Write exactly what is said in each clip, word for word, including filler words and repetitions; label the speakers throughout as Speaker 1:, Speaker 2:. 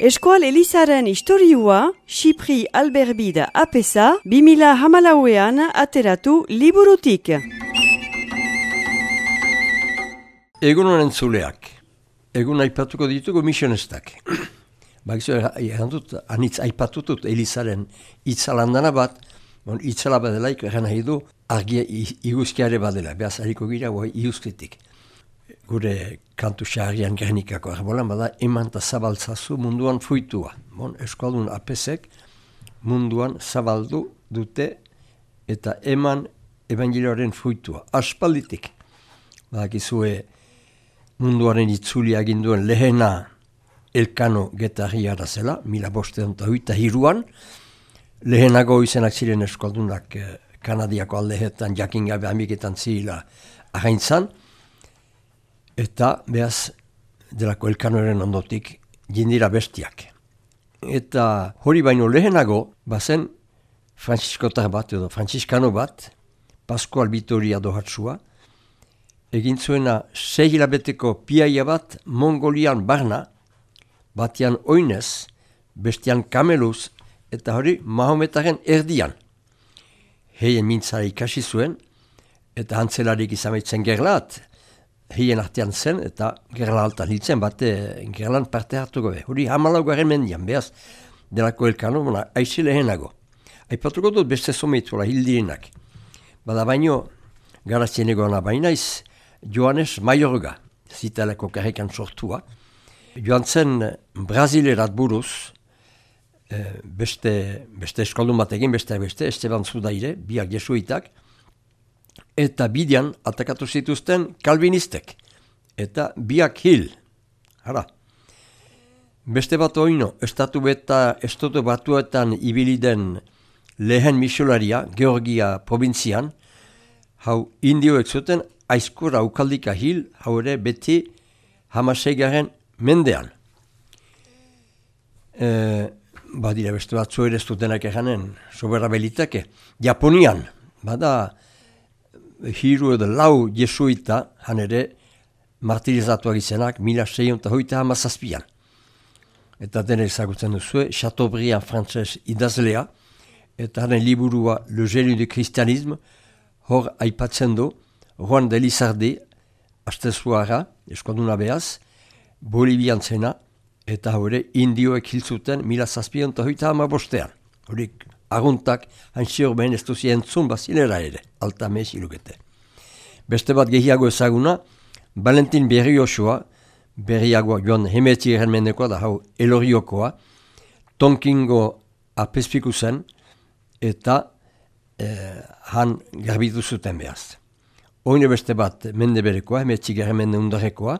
Speaker 1: Eskual Elizaren historiua, Xipri Alberbida apesa, bimila hamalauean ateratu liburutik.
Speaker 2: Egun honen zuleak. Egun aipatuko ditugu misionestak. Bakizu, errandut, anitz aipatutut Elizaren itzalandana bat, bon, itzala badelaik, erran nahi du, argia iguzkiare badela, behaz hariko gira, guai iguzkitik. Gure kantu xarrian gernikako arbolan, bada eman eta zabaltzazu munduan fuitua. Bon, eskualdun apesek munduan zabaldu dute eta eman evangelioaren fuitua. Aspalditik. Badakizue munduaren itzuli aginduen lehena Elkano Getarriara zela, mila bostean eta huita hiruan. Lehenago izenak ziren eskualdunak eh, Kanadiako aldehetan, jakin gabe amiketan zila ahaintzan. Eta behaz delako Elkanoren ondotik jindira bestiak. Eta hori baino lehenago, bazen Frantziskotar bat edo Frantziskano bat, Pascual Vitoria dohatsua, egin zuena sei hilabeteko piaia bat Mongolian barna, batian oinez, bestian kameluz, eta hori Mahometaren erdian. Heien mintzara ikasi zuen, eta hantzelarik izamaitzen gerlat, heien artean zen, eta gerla altan hiltzen, bate gerlan parte hartuko be. Hori hamalau garen mendian, behaz, delako Elkano, bona, aizi lehenago. Aipatuko dut beste someituela hildirinak. Bada baino, garazienego ana bainaiz, Joanes Mayorga, zitaleko karrikan sortua. Joan zen Brazilerat buruz, beste, beste eskoldun bat egin, beste beste, Esteban Zudaire, biak jesuitak, eta bidean atakatu zituzten kalvinistek, eta biak hil. Hara. Beste bat oino, estatu beta, estatu batuetan ibiliden lehen misiolaria, Georgia provintzian, hau indioek zuten, aizkura ukaldika hil, hau ere beti hamaseigaren mendean. E, badira beste batzu ere ez dutenak eganen, sobera belitake. Japonian, bada hiru edo lau jesuita, han ere martirizatuak izenak, mila seiehun eta hogeita hamazazpian. Eta dene ezagutzen duzue, Chateaubriand frantzes idazlea, eta haren liburua Le Génie du Christianisme, hor aipatzen du, Juan de Lizardi, astezuara, eskonduna behaz, Bolivian zena, eta hori indioek hiltzuten mila zazpion eta hogeita hamabostean. Horik aguntak, hansior behin ez duzi entzun bazilera ere, alta mez ilukete. Beste bat gehiago ezaguna, Valentin Berriosoa, berriagoa joan hemetzi errenmendekoa da hau eloriokoa, Tonkingo apespiku zen, eta eh, han garbitu zuten behaz. Oine beste bat mende berekoa, hemetzi errenmende undarekoa,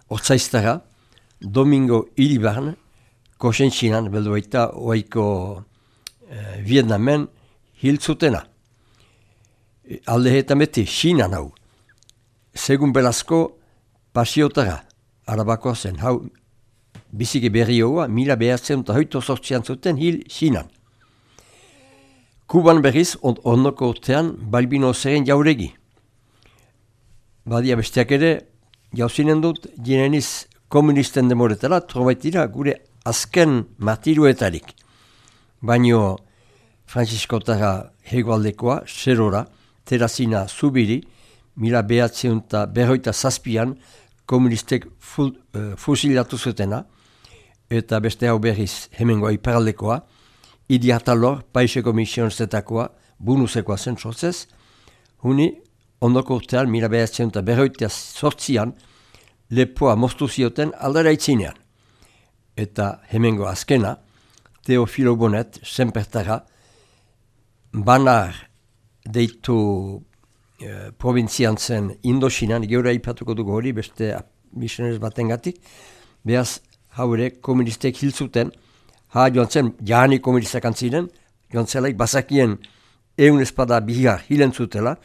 Speaker 2: Ortzaiztara, Domingo Iribarn, Kosentxinan, beldu baita, oaiko eh, Vietnamen hiltzutena. E, alde eta beti, Xinan hau. Segun Belazko, Pasiotara, arabakoa zen, hau biziki berrioa, mila behatzen eta hoito sortzian zuten hil Xinan. Kuban berriz, on, ondoko urtean, Balbino zeren jauregi. Badia besteak ere, jauzinen dut, jineniz komunisten demoretara, trobaitira gure azken martiruetarik. Baino Frantziskotara hegoaldekoa, Serora, Terazina Zubiri, mila behatzen eta berroita zazpian komunistek fu, uh, fusilatu zutena, eta beste hau berriz hemengoa iparaldekoa, Idi Atalor, Paiseko misionestetakoa, bunusekoa zen sortzez, huni ondoko urtean, mila behatzen eta berroita sortzian, lepoa moztu zioten aldera itzinean. Eta hemengo azkena, Teofilo Bonet, senpertara, banar deitu e, provintzian zen Indoxinan, geura ipatuko dugu hori, beste misionez batengatik, behaz haure komunistek hiltzuten, ha joan zen, jahani komunistak antziren, joan zelaik bazakien eun espada bihar hilen zutela,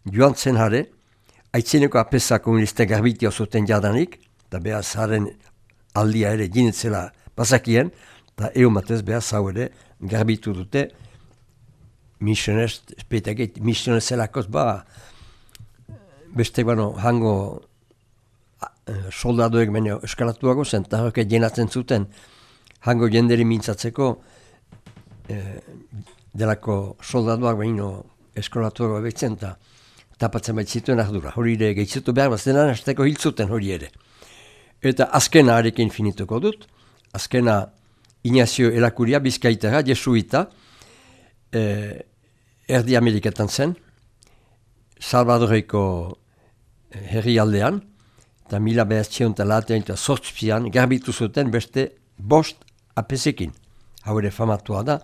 Speaker 2: joan zen hare, aitzineko apesa komuniste garbitia zuten jadanik, eta behaz haren aldia ere jinetzela bazakien, eta egun batez behaz hau ere garbitu dute misionez, espetakit, misionez zelakoz ba, beste bano hango soldadoek baino eskalatuago zen, eta horrek jenatzen zuten hango jenderi mintzatzeko eh, delako soldatuak behino eskolatuak behitzen eta tapatzen baitzituen ardura. Hori ere gehitzutu behar, bazenan hasteko hiltzuten hori ere. Eta azkena arekin finituko dut, azkena Ignacio Elakuria, Bizkaitara, jesuita, eh, erdi Ameriketan zen, Salvadoreko herrialdean, eta mila behatzion eta latean eta sortzpian garbitu zuten beste bost apesekin. Hau ere famatua da.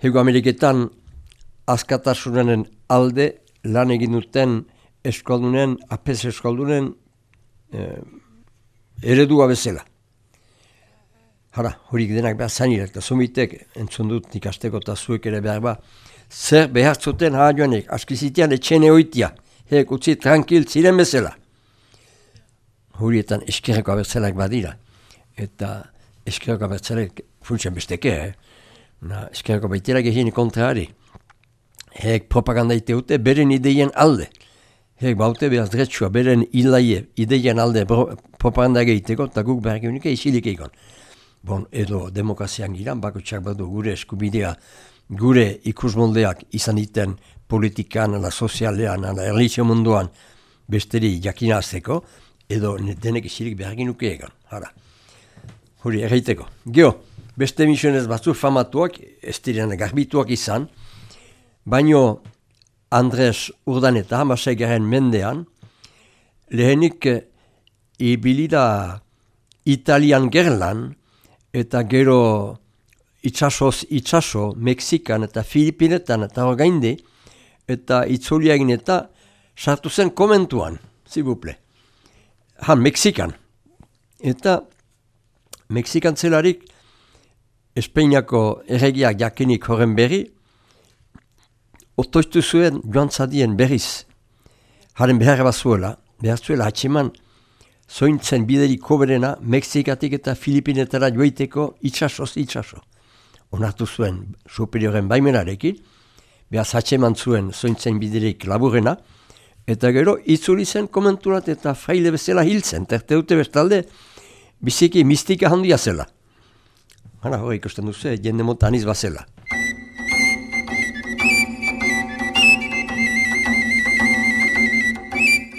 Speaker 2: Hego Ameriketan askatasunen alde lan egin duten eskoldunen, apes eskoldunen eh, eredua bezala. Hara, horik denak behar zainirek, eta zumitek entzun dut ikasteko eta zuek ere behar ba, zer behar zuten haa joanek, askizitian etxene oitia, hek utzi tranquil ziren bezala. Horietan eskerreko abertzalak badira, eta eskerreko abertzalak funtsen besteke, eh? Na, eskerreko baitera gehien kontraari. Hek propaganda iteute beren ideien alde. Hek baute behar dretsua beren ilaie ideien alde propaganda egiteko, eta guk behar gehunik isilik egon. Bon, edo demokrazian giran, bakotxak badu gure eskubidea, gure ikusmoldeak izan diten politikan, ala sozialean, ala erlizio munduan besteri jakinazteko, edo denek isilik behar genuke egan. Hara, hori erraiteko. Geo, beste misionez batzu famatuak, ez diren garbituak izan, baino Andres Urdaneta, hamasei garen mendean, lehenik ibilida Italian gerlan, eta gero itxasoz itxaso, Mexikan eta Filipinetan eta orgainde, eta itzuliagin eta sartu zen komentuan, zibuple. Han, Mexikan. Eta Mexikan zelarik Espainiako erregiak jakinik horren berri, otoiztu zuen joan zadien berriz. Haren behar bazuela, behar zuela hatxeman, zointzen biderik koberena Mexikatik eta Filipinetara joiteko itxasoz itxaso. Onartu zuen superioren baimenarekin, behaz hatxeman zuen zointzen biderik laburena, eta gero itzuli zen komenturat eta fraile bezala hil zen, terte dute bestalde biziki mistika handia zela. Hara hori ikusten duzu, jende mota aniz bazela.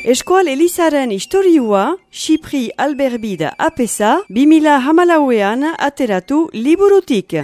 Speaker 1: Eskoal Elizaren historiua, Xipri Alberbide apesa, bi mila hamalauean ateratu liburutik.